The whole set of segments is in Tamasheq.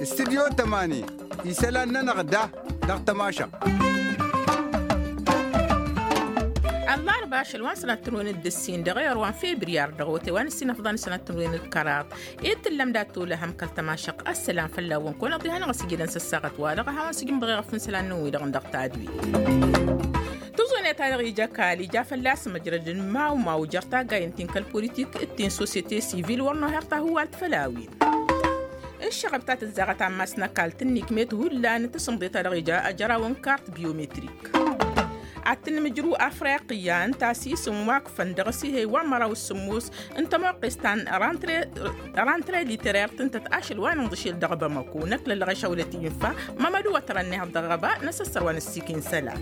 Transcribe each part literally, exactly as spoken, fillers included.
Studyo tămani isălan-nănăɣ da dăɣ-tămašăɣt. Ăllarba ašăl wa n-sănatăn wen d-ǝssin dăɣ-ewăr wa n-febriyar dăɣ-ote wa n-ǝssin ăfḍăn sănatăn wen d-kăraḍ. Ed tǝllăm dat-olăhăm kăl-tămašăɣt ăssălam fălla-wăn kăwăn-ăḍḍihănăɣ ăsijădăn s-ăssaɣăt-wa-dăɣ a hawăn-sǝjǝm dăɣ-eɣăf n-isălan-năwăn-wi-dăɣ n-dăɣ tadwit. Tǝẓune-ta-dăɣ ija kal ija fălla-s măjrăd n-imawmaw jer-taggayen-tin kăl-politik d-tin sosyete sivil wăr noher tahǝwalt făll-a-wen. Ǝššăɣăb ta tǝzzaɣăt ammas n-ăkall tǝnnikmet hullan tǝsǝmḍe-ta-dăɣ ija ajăraw n-kart biometrik. Ad-tǝnmǝjrǝw afriqya ǝnta a-s isǝm wa ǝkfăn dăɣ-s ih'-e wa n-măraw s-sǝmmos n-tămoqqes ta n-rantre literert ǝntăt ašăl wa n-inḍǝšel dăɣ-bamăko năkk lăllăɣeš awlăt-i infa. Mămădu wa tărănnehaḍ dăɣ-ɣăba n-asăssăr wa n-ǝssikin isălan.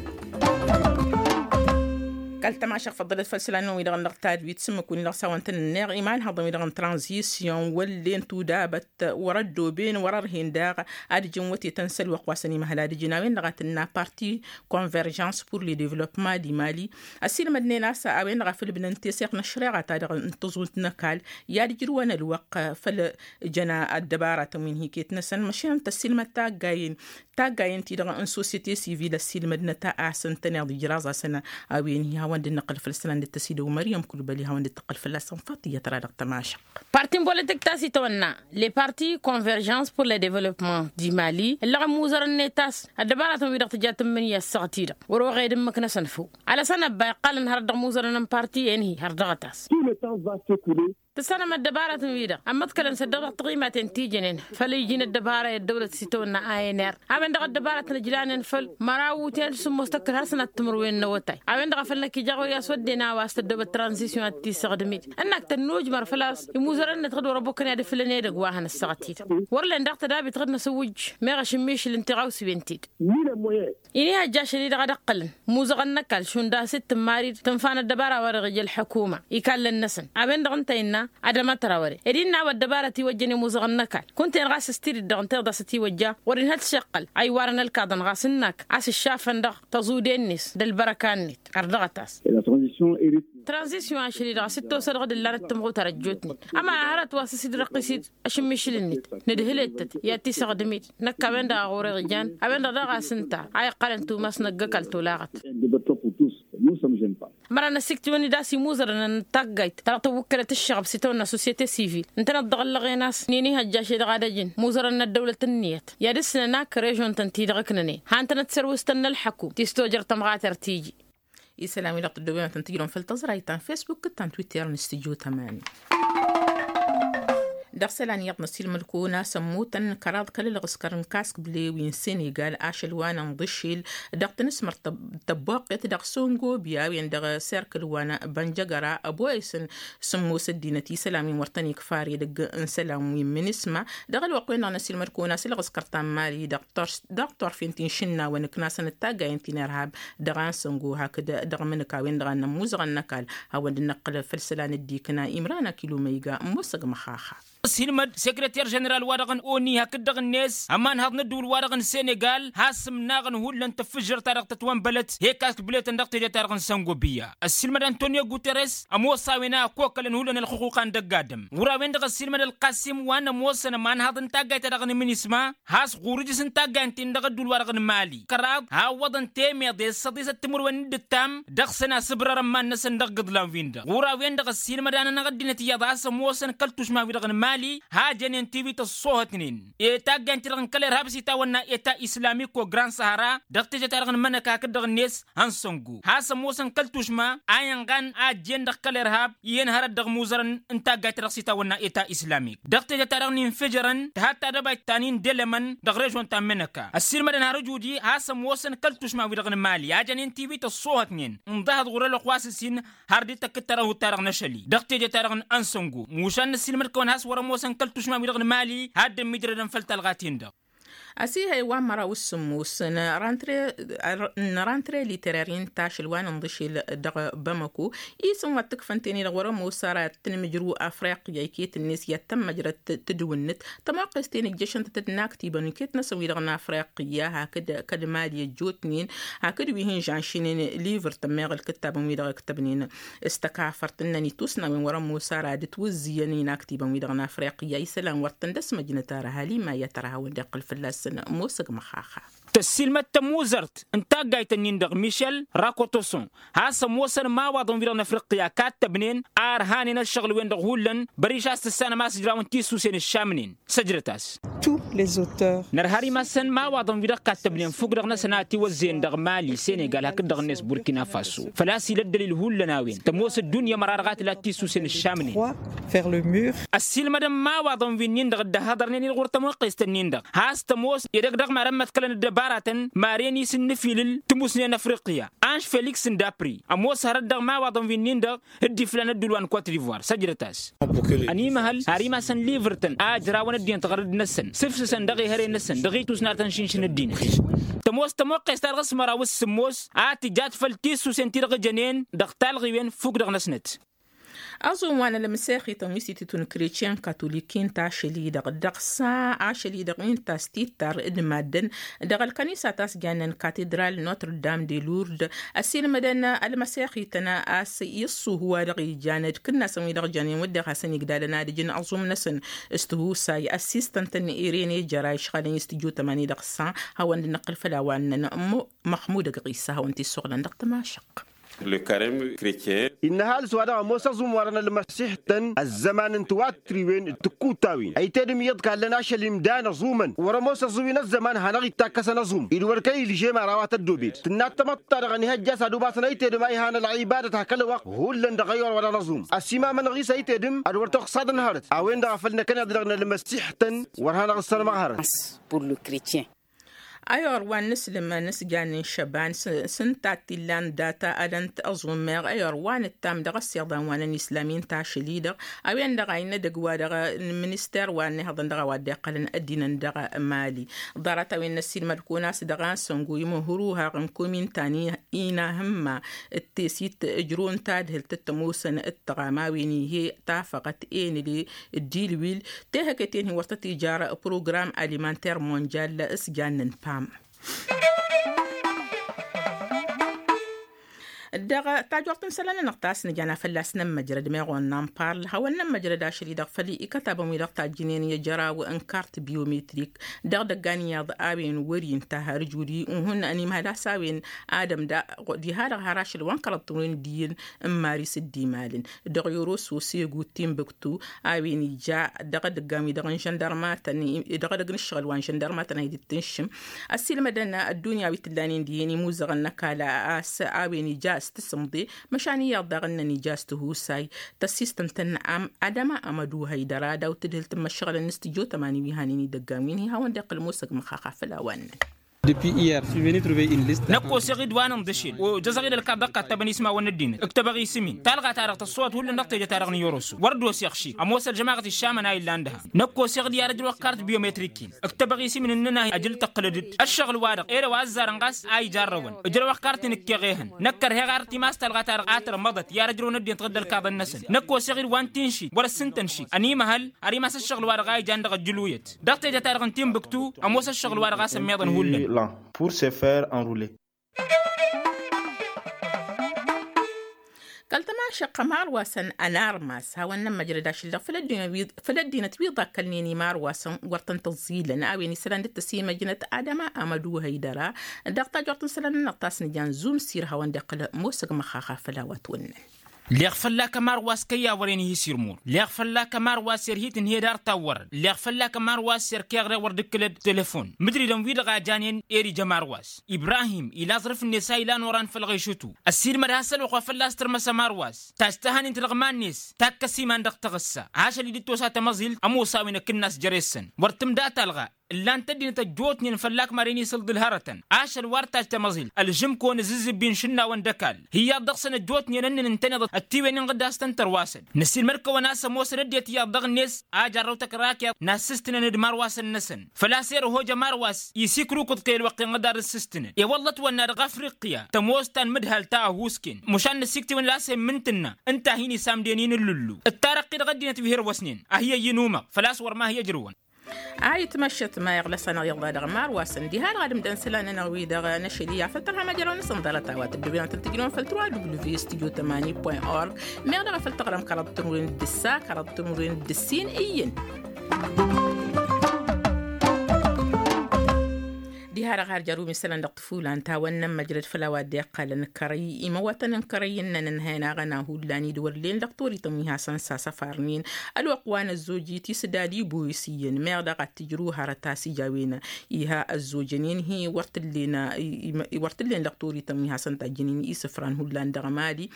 Kăl-tămašăɣt făḍḍălăt făll-isălan-năwăn-wi-dăɣ n-dăɣ-tadwit s-ǝmmǝk-win-i dăɣ-s a-wa n-tăn-ǝnneɣ imanhăḍăn-wi-dăɣ n-tranzisyon wăllen tudabăt wăr-ăddooben wăr-ărhen daɣ. Ad-ǝjǝn wătetăn s-ălwăqq wa săn imăhăl ad-ǝjǝn a-wen-dăɣ a tǝnna parti konverjans pur le devlopma di mali. Ăsilmădnen a-s a-wen-dăɣ a făl ǝbnăn teseɣt n-ăššăreɣa-ta-dăɣ n-tăẓunt n-ăkall i-ad-ǝjrǝwăn ălwăqq făll-ǝjăn ăddăbaratăn wi n-hiket-năsăn măšin ănta ăsilmăd taggayen taggayen-ti-dăɣ n-sosyete sivil ăsilmădnăt a-s ǝntăneḍ ijraẓ-asăn. A-wen-hi hawăn-dd-năqqǝl făll-isălan dd-tăsidăw măryăm kulbăli hawăn-dd-tăqqǝl fălla-săn faḍt iyyăt ra dăɣ-tămašăɣt. Parti n-politik ta s-itawănna le parti konverjans pur le development di mali ǝllăɣ ămmuzărăn-net a-s ăddăbaratăn-wi-dăɣ tǝja tǝmmǝnǝya ăssaɣăt-i-dăɣ wăr-oɣed ǝmmǝk-năsăn făw. Alăsăn ăbba iqqalăn hărăt dăɣ-imuzărăn n-parti-en-hi har dăɣ-tas. Tǝssanăm ăddăbaratăn-wi-dăɣ ămmăḍkălăn s-ăddăɣ dăɣ-taɣimaten ti jănen făll-iji n-ăddăbara i-ăddăwlăt s-itawănna a n r a-wen-dăɣ ăddăbaratăn ǝjlanen făll-măraw utel sǝmmos tăkkăl har sănat timǝrwen n-awătay. A-wen-dăɣ a făl năkk ija ɣur-i a-s wădden a-wa s-tăddoobăt tranzisyon ad-t-issăɣdǝm-dd ǝnnak tănnujmăr făl-a-s imuzărăn-net ɣǝd wăr-ăbukăn i-ad-ǝflǝlăn edăgg wa hăn ăssaɣăt-i-dăɣ. Wăr len daɣ tădabit ɣǝd-năsăn wǝjj meɣ ašǝmmišǝl n-tiɣawsiwen-ti-dăɣ. Ini hajj ašăl-i-dăɣ a d-ăqqălăn muzăɣăn n-ăkall šund a-s dd-tǝmmarid tǝnfa n-ăddăbara wa dăɣ-ija ălḥukuma. Ikallăn-năsăn a-wen-dăɣ ǝnta innă ad-ămătra wăren ed innă a-wa ăddăbarăt iwăjjăn imuzăɣăn n-ăkall kunta-en ɣas s-tidǝt-dăɣ ǝnta iḍasăt iwăjja wăren hăt s-iqqăl a iwarăn ălkaḍăn ɣas ǝnnak a-s ǝššafăn dăɣ-tăẓude-net d-ălbărăka-net. Ărdăɣăt-as tranzisyon ašăl-i-dăɣ a-s dd-tosă dăɣ-dd-ǝllanăt tǝmɣutar ăjjootnen ăma hărăt wa s-dd-răqqis-dd ašǝmmišǝl-net nǝdhǝl-ettăt i-ad-t-isăɣdǝm-dd. Năkk a-wen-dăɣ a ɣur-e ijan a-wen-dăɣ daɣ a-s ǝnta a iqqălăn tumas n-ăgg-ăkall tolaɣăt. Ămăra n-ăsiktiwăn-dd a-s imuzărăn n-taggayt ta dăɣ-tăwwǝkkălăt ǝššăɣăb s-itawănna sosyete sivil ǝntăneḍ dăɣ-ăllăɣen a-s n-inihăjjaš-i-dăɣ ad-ăjǝn imuzărăn n-ăddăwlăt ǝnniyăt i-ad-ǝssǝnăn ak režon-tăn-ti-dăɣ ǝknănen han tănăt serwǝst-tăn n-ălḥăkum ti s-tojăr tămɣater tiji. Isălan-wi-dăɣ tăddobem ad-tăn-tǝjrǝwăm făll-tăẓrayt ta n-fesbuk d-ta n-twitter n-studyo tămani. Dăɣ-isălan iyyăḍ n-ăsilmăd-kăwăn a-s ămmutăn kăraḍ kăl-ălɣǝskăr n-kaskǝble wi n-senegal ašăl wa n-inḍǝšil dăɣ-tanǝsmărt tăbboqqet dăɣ-săngobi a-wen dăɣ-serkǝl wa n-bănjăgăra ăboyăsăn sǝmmos ăddinăt isălan wi n-wăr tăn-ikfar edăgg n-isălan wi n-minǝsma. Dăɣ-ălwăqq-wen-dăɣ n-ăsilmăd-kăwăn a-s ălɣǝskăr ta n-mali dăɣ-torfen ti n-išǝnnawăn ǝknasăn d-taggayen ti n-irhab dăɣ-ansăngo hakd dăɣ-imǝnǝkawen-dăɣ a n-ămmuzăɣăn n-ăkall. Hawăn-dd-năqqǝl făll-isălan dd-ikna imran akiluma iga n-musăg măxaxa. Ăssilmăd sekreter ženeral-wa-dăɣ n-oni hakd dăɣ-net ămanhăḍ n-ădduul-wa-dăɣ n-senegal has-ǝmnaɣăn hullan tăffǝžžăr-ta-dăɣ tătwănbălăt hekk a s-kǝbletăn dăɣ-teje-ta-dăɣ n-săngobiya. Ăssilmăd antonio guterres ămoos a-wen a ăkokălăn hullan ălxuquqa n-dăgg-adǝm ɣur-a-wen-dăɣ ăssilmăd ălqasim wa n-ămoosăn ămanhăḍ n-taggayt-ta-dăɣ n-minisma has-ɣur-ǝjǝs n-taggayt-in-dăɣ ădduul-wa-dăɣ n-mali kăraḍ hawwăḍăn temeḍe s-săḍisăt timǝrwen n-dd-ǝttam dăɣ-săn asǝbrăr ămman-năsăn dăɣ-iḍlan-win-dăɣ ɣur-a-wen-dăɣ ăssiilmăd anănăɣ ăddinăt iyyăḍ a-s ămoosăn kăl-tušma-wi-dăɣ n-mali ha jănen tiwit ăṣṣoohătnen i-taggayt-ti-dăɣ n-kăl-irhab s-itawănna eta islami ko-grand sahara dăɣ-teje-ta-dăɣ n-imănăk hakd dăɣ-net hăn săngo has-ămoosăn kăl-tušma a inɣan a ăjjeen dăɣ-kăl-irhab iyyăn hărăt dăɣ-imuzărăn n-taggayt-ta-dăɣ s-itawănna eta islamik dăɣ-teje-ta-dăɣ n-infǝjărăn tǝhat tadăbayt ta n-indelămăn dăɣ-režon ta n-mănăka ăssiilmădăn har ǝjudi has-ămoosăn kăl-tušma-wi-dăɣ n-mali a jănen tiwit ăṣṣoohătnen ǝnḍăhăḍ ɣur-ălwăqq wa s-ǝssin har dd-tăkkǝttărăn hut-ta-dăɣ n-ašăl-i dăɣ-teje-ta-dăɣ n-ansăngo mušan n-ăssiilmăd-kăwăn has-wăr-ămoosăn kăl-tušma-wi-dăɣ n-mali ha dd-ămmijdădăn făll-talɣa-tin-dăɣ. Asihăy wa n-măraw s-sǝmmos n-rantre literar-i n-tašǝl wa n-inḍǝšel dăɣ-bamăko isǝm wa t-ǝkfăn ten-i-dăɣ wăr-ămoos ara tǝnmǝjrǝw afriqya iket-net i-ad-tămmăjrăd tǝdǝwǝnnǝt tămoqqes-ten ǝjjăšăn-tăt d-inaktibăn iket-năsăn wi-dăɣ n-afriqya hakd kăl-mali ăjjootnen hakd wi hin-žănšinen livăr tămmeɣ ǝlkǝttabăn wi-dăɣ ǝktăbnen s-tăkafărt ǝnnăn itusnawen wăr-ămoos ara ad-ǝtwǝzzǝyăn inaktibăn wi-dăɣ n-afriqya isălan wăr tăn-dd-ăsmăjnăt ara hal imayya tărha hawăn-dd-iqqǝl fălla-săn. Ămoosăg măxaxa. Tăssiilmăd tămuzărt n-taggayt-ǝnnin-dăɣ mišel rakotoson has-ămoosăn imawaḍăn-wi-dăɣ n-afriqya kattăbnen a ărhanen ăššăɣǝl-wen-dăɣ hullan băriš a-s tǝssanăm a-s ǝjrawăn tisusen ǝššamnen. Săjdăt-as. Nărha ar imassăn imawaḍăn-wi-dăɣ kattăbnen fukk-dăɣ-năsăn a ătiwăzzeyăn dăɣ-mali senegal hakd-dăɣ-net burkina faso făl-a-s ila ăddălil hullan a-wen tămoos ăddunya măra-dăɣ a tǝla tisusen ǝššamnen. Ăssiilmădăn imawaḍăn-wi-nin-dăɣ dd-ăhhăḍărnen-in ɣur-tămoqqest-ǝnnin-dăɣ has-tămoos edăgg dăɣ-mad-ămmăḍkălăn ăddăbaratăn maren-i s-ǝnnǝfilǝl tǝmusne n-afriqya anš feliks n-dapri ămoos hărăt dăɣ-imawaḍăn-wi-nin-dăɣ dd-iflan ădduul wa n-kot divoire săjdăt-as. Ănimăhăl har imasăn livǝr-tăn a ǝjrawăn ăddinăt ɣărăd-năsăn sǝfsǝsăn dăɣ-ehăre-năsăn dăɣ-itusnartăn šǝnšǝn ăddinăt. Tămoos tămoqqes-ta-dăɣ s-măraw s-sǝmmos a tǝjat făll-tisusen ti-dăɣ ǝjănen dăɣ-talɣiwen fukk dăɣ-năsnăt. Aẓum wa n-ălmăsexităn wi s-ititun kretyen katolik-i n-tašăl-i-dăɣ dăɣ-sa ašăl-i-dăɣ wi n-tastittar d-maddǝn dăɣ-ălkănisa ta s-jannen katedral notre dame de lourde. Ăsilmădăn ălmăsexităn a-s iṣṣuhu wa dăɣ-ijan d-kǝnnasăn wi dăɣ-jannen wădden hasăn-igdalăn ad-ǝjǝn aẓum-năsăn s-tihusay ăssistăn-tăn irene jăra išɣalăn i-s tijutămani dăɣ-sa. Hawăn-dd-năqqǝl făll-a-wa ǝnnăn măxmud ăgg ɣisa hawăn-t-issuɣlăn dăɣ-tămašăq. Innă ăhalǝs wa dăɣ-ămoos aẓum wa dăɣ-nălmăsihătăn ăzzăman n-tiwattriwen d-tǝkkutawen ăytedăm iyyăḍ kallăn ašăl imdan ăẓumăn wăr-ămoos ăẓuwi n-ăzzăman hanăɣ-ittakkăsăn aẓum-i d-wăr kăy-ilžem ara wa tăddobed tǝnna d-tamăḍt-ta-dăɣ ănihăjja a-s ad-umasăn ăytedăm a ihanăl ălɣibadăt hakălăwăɣ hullan dăɣ-ăyyor wa dăɣ-năẓum. Ăsimamăn ɣisa ăytedăm ad-wăr tăɣsad n-hărăt a-wen-dăɣ a făl năkkăneḍ-i-dăɣ nălmăsihătăn wăr hanăɣ-ǝssărmăɣ hărăt. Ăyor wa n-inǝslǝm n-asjan n-išăban s-ǝnta t-illan data ad-ănt-ăẓummeɣ ăyor wa n-ǝttam dăɣ-ăssiḍan wa n-ănislam i n-tašăl-i-dăɣ a-wen-dăɣ a innă edăgg wa dăɣ-minister wa n-ihăḍăn dăɣ-a-wa dd-iqqălăn ăddinăn dăɣ-mali. Ḍarăt-a-wen n-ăssiilmăd-kăwăn a-s dăɣ-ansăngo imǝhruhaɣ n-kumintan-i inahǝmma d-tesit ǝjrǝw n-tadhǝlt d-tămoosăn d-tăɣam a-wen ihe tafăɣăt enle d-ilwil tehăketen-hi wăr tăt-ijar program alimanter monjal s-jannăn pam. Dăɣ-tajort n-isălan-nănăɣ ta s-nǝjana fălla-s nămmăjrăd meɣ wănna n-parl hawăn-nămmăjrăd ašăl-i-dăɣ făll-ikătabăn-wi-dăɣ tajjǝnen i-ajăraw n-kart biometrik dăɣ-idăggan iyyăḍ a-wen wăr-inta har ǝjud-i uhǝn ănimhăl a-s a-wen ad-ămda diha-dăɣ har ašăl wa n-kăraḍ tǝwǝn d-iyyăn n-maris dd-imalăn dăɣ-yoroso segu timbuktu. A-wen ija dăɣ-edăggan-wi-dăɣ n-žăndărmatăn dăɣ-edăgg n-ǝššăɣǝl wa n-žăndărmatăn a hi-dd-tǝnšǝm ăssiilmădăn ăddunya wi t-ǝllanen dihen imuzăɣăn n-ăkall a-s a-wen ija s-tǝsǝmḍe. Măšan iyyăḍ daɣ ǝnnăn ija s-tihusay tăssistăn tăn-am adăma amădu hăydăra daw-tǝdhǝl tǝmmăššăɣǝlăn n-s tǝjotămani wi hanen idăggan wi n-hi hawăn-dd-iqqǝl musăg măxxaxa făll-a-wa ǝnnăn. Năkk oseɣ-dd wa n-inḍǝšel ojăẓăɣ-dd ălkaḍ dăɣ-kattăbăn ismawăn n-ăddinăt ǝktăbăɣ isǝm-in talɣa-ta-dăɣ tăṣṣăwăt hullan dăɣ-teje-ta-dăɣ n-iyyăr-osu wăr dd-oseɣ šik ămoos ălžămaɣăt iššamăn a illan dăɣ-a năkk oseɣ-dd i-ad-ăjrăwăɣ kart biometrik-in ǝktăbăɣ isǝm-in ǝnnăn a ijǝl tăqqǝlăd-dd ăššăɣǝl-wa-dăɣ ere wa ăzzarăn ɣas a ijarrăwăn ǝjrăwăɣ kart-in ǝkkeɣ-ehăn. Năkk ărheɣ ar timas talɣa-ta-dăɣ a tărmăḍăt i-ad-ăjrăwăn ăddinăt ɣǝdd ălkaḍăn-năsăn năkk oseɣ-dd wa n-tinšit wăr-ăssintăn šik ănimăhăl har imas ăššăɣǝl-wa-dăɣ a ijan dăɣ-ăjjǝluyăt dăɣ-teje-ta-dăɣ n-tinbǝktu. Ămoos ăššăɣǝl-wa-dăɣ a-s ămmiḍăn hullan. Pour se faire enrouler. Kăl-tămašăqqa marwasăn ănarmas hawăn-nămmăjrăd ašǝl-dăɣ făll-ăddinăt wi ḍakkălnen i-marwasăn wăr tăn-tăẓẓilăn a-wen isălan dd-tăsimăjnăt adăma amădu hăydăra. Dăɣ-tajort n-isălan-nănăɣ ta s-nǝjan zumsir hawăn-dd-iqqǝl mosăg măxxaxa făll-a-wa t-wănnăn. Leɣ fălla-k ămarwas kăyy a wăren ihi s-irmur leɣ fălla-k ămarwas erhit ǝnhed ar tawwărăn leɣ fălla-k ămarwas erkeɣre wăr dd-kǝlăd telefon mǝdridăn-wi-dăɣ a janen. Eri jămarwas ibrahim ila aẓrǝf-net a ilan oran făll-ɣešǝtu ăssiilmăd hasăl wa fălla-s tărmăs ămarwas. Tajj tăhanin-t dăɣ-iman-net takkăs iman dăɣ-taɣǝssa ašăl-i dd-tosa tămăẓilt ămoos a-wen ăkǝnnas jere-săn wăr tǝmda talɣa. ǝllan-t ăddinăt ăjjootnen fălla-k maren isǝlḍǝl hărătăn ašăl wa ărtaj tamăẓilt ălžǝm kăwăn-ǝzǝzzǝbbin šǝnnawăn d-ăkall hi-iyyăḍ dăɣ-săn ăjjootnen ǝnnǝn ǝntăneḍ ăttiwenen ɣǝddas tăn-tărwasăn năssiilmăd-kăwăn a-s ămoosăn ăddinăt iyyăḍ dăɣ-net a jarrăw tăkrakeḍ n-assǝstǝnăn d-imarwasăn-năsăn. Făl-a-s erh ojă marwas isikrukud kăy-ălwăqq-en ɣǝdar ǝssǝstǝnăn i-wălla ătwănna dăɣ-afriqya tămoos ta n-imǝdhal ta ăhuusken măšan năssiktǝwăn la s-e n-imǝntǝnna ǝnta a hin-isamden-in ǝllǝllu d-tarăqqi dăɣ-ăddinăt wi hărwăsnen a hi-ăyyǝn umăɣ făl-a-s wăr ma hi-ăjrǝwăn. A itmăššăt ma iɣlăs-anăɣ iḍa dăɣ-marwasăn diha-dăɣ ad-ǝmdăn isălan-nănăɣ-wi-dăɣ n-ašăl iyyă făll-tărha măjrăwăn s-ǝnḍălăt a-wa tǝddǝwăn ad-tăn-tǝjnǝwăn făll-trois w v studio tămani point org meɣ dăɣ-e făll-tăɣrăm kăraḍ timǝrwen d-ǝssa kăraḍ timǝrwen d-ǝssin iyyăn. Diha-dăɣ har jăr-wi n-isălan dăɣ-tǝfulan tawănnăn măjrăd făll-a-wa dd-iqqălăn kărăy imăwatăn n-kărăy ǝnnăn ǝnhăyăn aɣăna hullan-i d-wăr len dăɣ-torităn wi hasăn-sasăfarnen ălwăqq wa n-ăzzoj i-tisdad iboyǝs iyyăn meɣ dăɣ-ad-tǝjrǝw hărăt a-s ija a-wen iha ăzzojăn-in-hi wăr t-ǝllen dăɣ-torităn wi hasăn-tajjǝnen isǝfran hullan dăɣ-mali.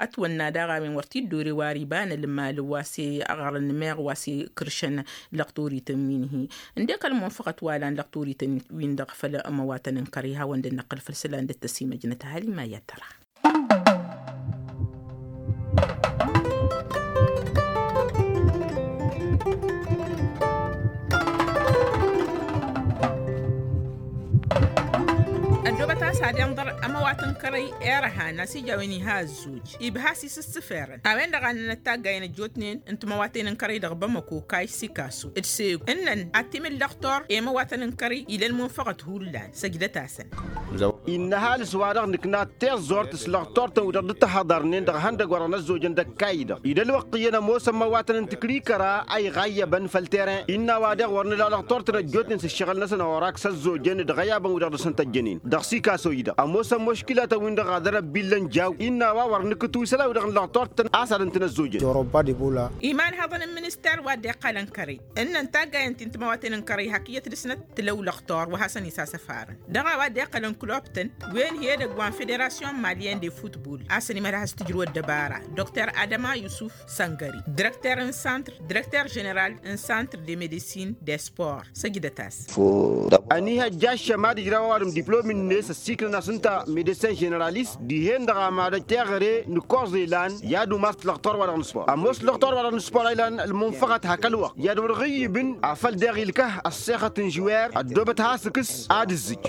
Ătwănna daɣ a-wen wăr t-dd-ore wa ar iba n-ălmal wa s-e-ăɣrăn meɣ wa s-e-kǝršăn lăqtorităn wi n-hi ǝndek ălmunfăɣăt wa lan lăqtorităn wi n-dăɣ făll-ămăwatăn n-kărăy hawăn-dd-năqqăl făll-isălan dd-tăsimăjnăt ăhalima i-ad-tăra. Ăddoobăt a-s ad-inḍăr ămăwatăn kărăy erăhan a-s ija a-wen iha ăzzuj ibha a-s isǝssǝferăn a-wen-dăɣ a ǝnnănăt taggayen ăjjootnen n-timăwaten n-kărăy dăɣ-bamăko kayy sikasu d-segu ǝnnăn ad-t-imǝl lăqtor i-imăwatăn n-kărăy ila ălmunfăɣăt hullan săjdăt-asăn. Innă ăhalǝs-wa-dăɣ nǝkna tiẓẓurt s-lăqtor-tăn wi-dăɣ dd-tăhhăḍărnen dăɣ-ihăndăgg wa dăɣ-năzzojăn d-ăkkayyǝd-dăɣ i-dd-ălwăqq iyyăn ămoosăn imăwatăn n-tikri kăra a iɣayyăbăn făll-teren. Innă a-wa daɣ wăr nǝla lăqtor-tăn ăjjootnen s-ǝššăɣǝl-năsăn orak s-ăzzojăn d-iɣăyabăn wi-dăɣ dăr-săn tăjjănen dăɣ-sikaso-i-dăɣ ămoosăn muškilatăn-win-dăɣ ad-ărăbbilăn jaw. Innă a-wa wăr nǝkǝtǝw isălan-wi-dăɣ n-lăqtor-tăn a-s ad-ǝntǝn ăzzojăn. Iman hăḍăn n-minister wa dd-iqqalăn kărăy ǝnnăn taggayen ti n-timăwaten n-kărăy hak iyyăt dăr-snăt tǝlăw lăqtor wa hasăn-isasăfarăn dăɣ-a-wa dd-iqqălăn klub-tăn wen hi-edăgg wa n-federasyon malyen de futbol a-s ănimăd ad-has-tǝjrǝw ăddăbara dr adama yusuf săngări direkter n-santr direkter ženeral n-santr de medisin de spor săjdăt-as. Ăniihăjja ăššămad ijraw ăwadǝm diplom-net ăssiiklăn-as ǝnta medesin ženeralist dihen-dăɣ amad teɣăre n-koẓ ilan i-ad-umas lăqtor-wa-dăɣ n-spor ămoos lăqtor-wa-dăɣ n-spor a ilan ălmunfăɣăt hak ălwăqq i-ad-wăr ɣǝyyǝbăn afăl daɣ ilkăh ăṣṣexăt n-žwer ăddoobăt has-ǝkǝs ad-ǝzzǝj.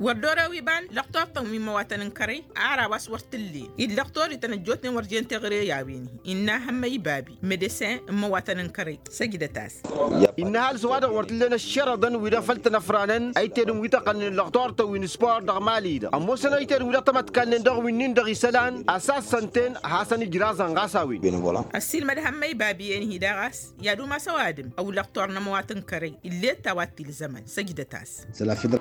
Wăr dd-orew iba n-lăqtor-tăn wi n-imăwatăn n-kărăy ara wa s-wăr t-ǝllen-i d-lăqtor-ităn ăjjootnen wăr jen teɣăre i-a-wen-hi innă hămmăy babi medesin n-imăwatăn n-kărăy săjdăt-as. Innă ăhalǝs wa-dăɣ wăr t-ǝllen ăššărăḍăn wi-dăɣ făll-tăn-ăfranăn ăytedăn wi tăqqălnen lăqtor-tăn wi n-spor dăɣ-mali-dăɣ ămoosăn ăytedăn wi-dăɣ tamătkalnen dăɣ-winnin-dăɣ isălan a-s assăn-ten ad-hasăn-ijraẓăn ɣas a-wen. Ăssiilmăd hămmăy babi-en-hi daɣ a-s i-ad-umas ăwadǝm ăwlăɣ tornămăwat n-kărăy ill'-e d-ta wa t-ilzămăn săjdăt-as.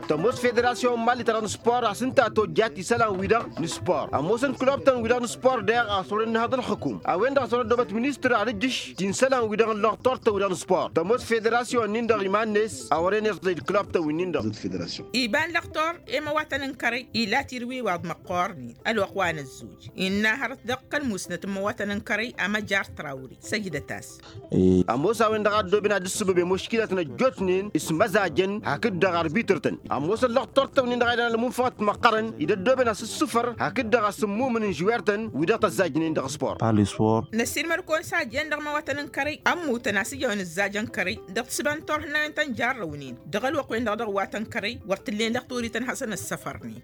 Tămoos federasyon n-mali-ta-dăɣ n-spor a-s ǝnta tojjat isălan-wi-dăɣ n-spor ămoosăn klub-tăn-wi-dăɣ n-spor daɣ a-s wăren n-hăḍ ălxǝkum a-wen-dăɣ a-s wăren ăddoobăt ministăr ad-ǝjjǝš ti n-isălan-wi-dăɣ n-lăqtor-tăn-wi-dăɣ n-spor tămoos federasyon-nin-dăɣ iman-net a wăren iẓẓăy d-klub-tăn-wi-nin-dăɣ. Iba n-lăqtor i-imăwatăn n-kărăy ila tirwiwaḍ măqqoornen ălwăqq wa n-ăzzuj innă hărăt dăɣ-kăl-musnăt n-imăwatăn n-kărăy amăjar trawri săjdăt-as. Ămoos a-wen-dăɣ a ăddooben ad-dd-ǝssǝbăb i-muškilatăn ăjjootnen s-măzajăn hakd-dăɣ arbitr-tăn ămoosăn lăqtor-tăn-win-dăɣ a ilan ălmunfăɣăt măqqărăn i-dd-ăddooben asǝssǝfăr hakd-dăɣ asǝmmumǝn n-žwer-tăn wi-dăɣ tăzzajnen dăɣ-spor. Năssiilmăd-kăwăn s-a jen dăɣ-imăwatăn n-kărăy ămmutăn a-s ija a-wen ǝzzajăn kărăy dăɣ-tǝsba n-turhǝnnayen tăn-jarrăwnen dăɣ-ălwăqq-wen-dăɣ dăɣ-iwatăn kărăy wăr t-ǝllen lăqtor-ităn hasăn-ăssăfărnen.